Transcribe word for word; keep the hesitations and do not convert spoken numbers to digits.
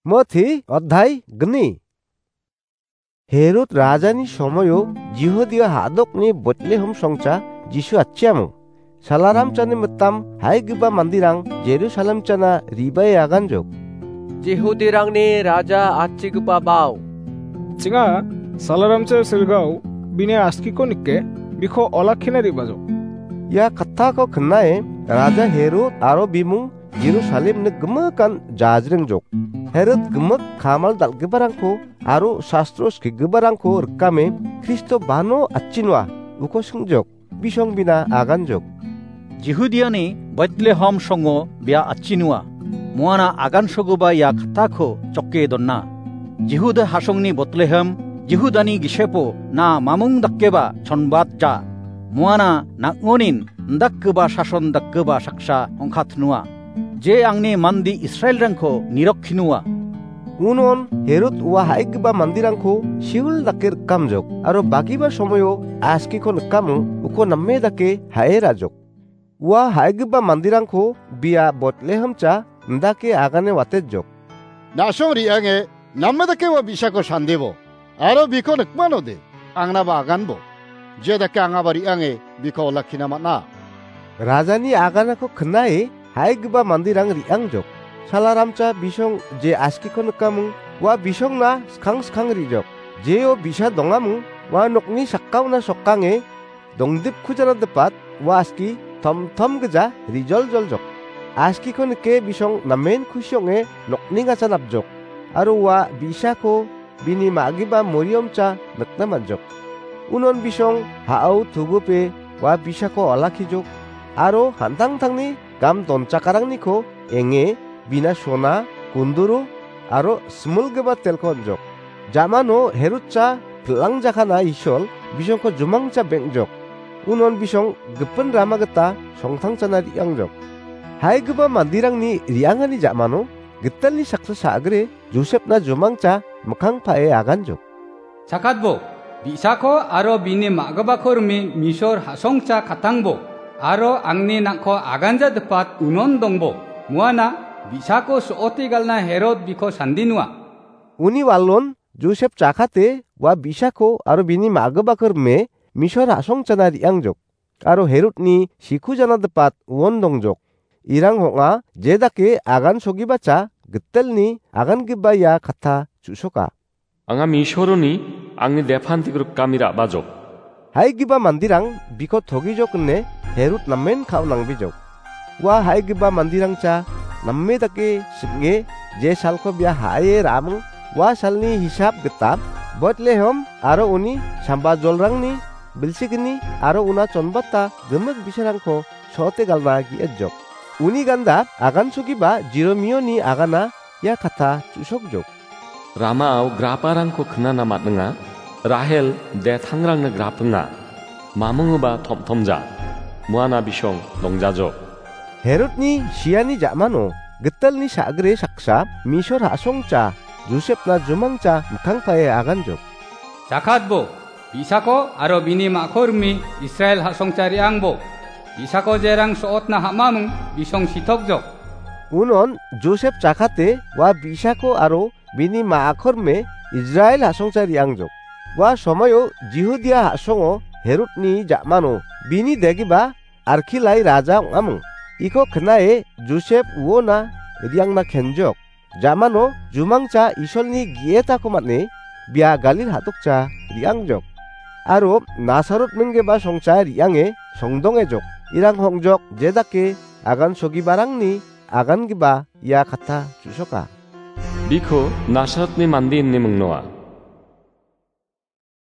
Moti odhai gni. Herod rajani somoyo Jihudia ha·dokni Betlehem songcha Jisu atchiamo. Salaramchani mitam haigipa mandirang Jerusalem chana ribae aganjok. Jihudirangni raja atchigipa bao. Chinga, salaramcha silgao, bini askiko nike, biko olakkina ribajok. Ia kattako knae, raja Herod aro bimung Jerusalemni gimikan jajrengjok. Herod gimik kamal dal·giparangko aro sastro skigiparangko rikame Kristo bano atchinua uko singjok, bisong bina aganjok. Jihudiani Betlehem songo bia atchinua, muana agansogipa ia kattako choke dona. Jihuda hasongni Betlehem, Jihudani gisepo na mamung dakeba chonbat ja. Muana nang·onin indakgipa sason dakgipa saksa ongkatnua. Je angni mande Israelrangko nirokkinua. Unon Herod ua ha·igipa mandirangko siul dake rikamjok, aro bagipa somoio askiko nikamo uko name dake ha·e ra·jok. Ua ha·igipa mandirangko bia Betlehem cha indake agane watejok. Na·song re·ange name dake ua bi·sako sandebo, aro biko nikmanode, angnaba aganbo. Je dake angaba re·ange biko olakkina man·a. Rajani aganako knae ha·igipa mandirang re·angjok. Salaramcha bisong je askiko nikamung, ua bisongna skang skang re·jok. Jeo bi·sa dongamung, ua nokni sakkaona sokange dongdipkujanadipat ua aski tomtom gija rijoljoljok. Askiko nike bisong namen kusi ong·e nokningacha napjok, aro ua bi·sako bini ma·gipa moriomcha nikna man·jok. Unon bisong ha·ao tugupe ua bi·sako olakkijok, aro an·tangtangni gam donchakaragniko enge bina sona, kunduru aro similgipa telko on·jok. Jamano Herod cha pil·angjakana Isol bisongko jumangcha beng·jok. Unon bisong gipin rama gita songtangchana re·angjok. Haigipa mandirangni re·angani jamano gitelni saksa sa·gre Josepna jumangcha mikkang pa·e aganjok. Chakatbo, bi·sako aro bini ma·gipako rime Misor ha·songcha katangbo, aro angni nang·ko aganja dipat unon dongbo. Muana bi·sako so·ote galna Herod biko sandinua. Uni walon Josep chakate ua bi·sako aro bini ma·gipako rime Misor ha·songchana re·angjok. Aro Herodni sikujana dipat uon dongjok. Irang hong·a jedake agan sogibacha gitelni agangipa ia katta chu·soka. Anga Misoroni angni depan tigrikami ra·bajok. Haigipa mandirang biko togijok ine Herod namen ka·o nangbijok. Ua haigipa mandirangcha name dake sim·e je salko bia ha·e ra·aming ua salni hisap gita Betlehem aro uni sambajolrangni bilsigni aro una chonbata gimik bi·sarangko so·ote galna ge·etjok. Uni ganda agansogipa Jeromioni agana ia katta chu·sokjok. Ramao graparangko knana man·enga, Rahel detangrangna grapinga. Mamungoba tomtomja, muana bisong dongjajok. Herodni siani ja·mano gitelni sa·gre saksa Misor ha·songcha Josepna jumangcha mikkang pa·e aganjok. Jakatbo, bi·sako aro bini ma·ko rimi Israel ha·songcha re·angbo. Bi·sako jerang so·otna ha·maming bisong sitokjok. Unon Josep jakate ua bi·sako aro bini ma·akorme Israel ha·songcha re·angjok. Ua somoio Jihudia ha·songo Herodni ja·mano bini degipa Arkilai raja ong·aming. Iko knae Josep uona re·angna kenjok. Ja·mano jumangcha Isolni ge·etako man·e bia Galil ha·dokcha re·angjok. Aro Nasarot minggipa songcha re·ange songdongejok. Irang hongjok jedake agan sogiparangni agangipa ia katta chu·soka. Biko Nasarotni mande ine mingnoa.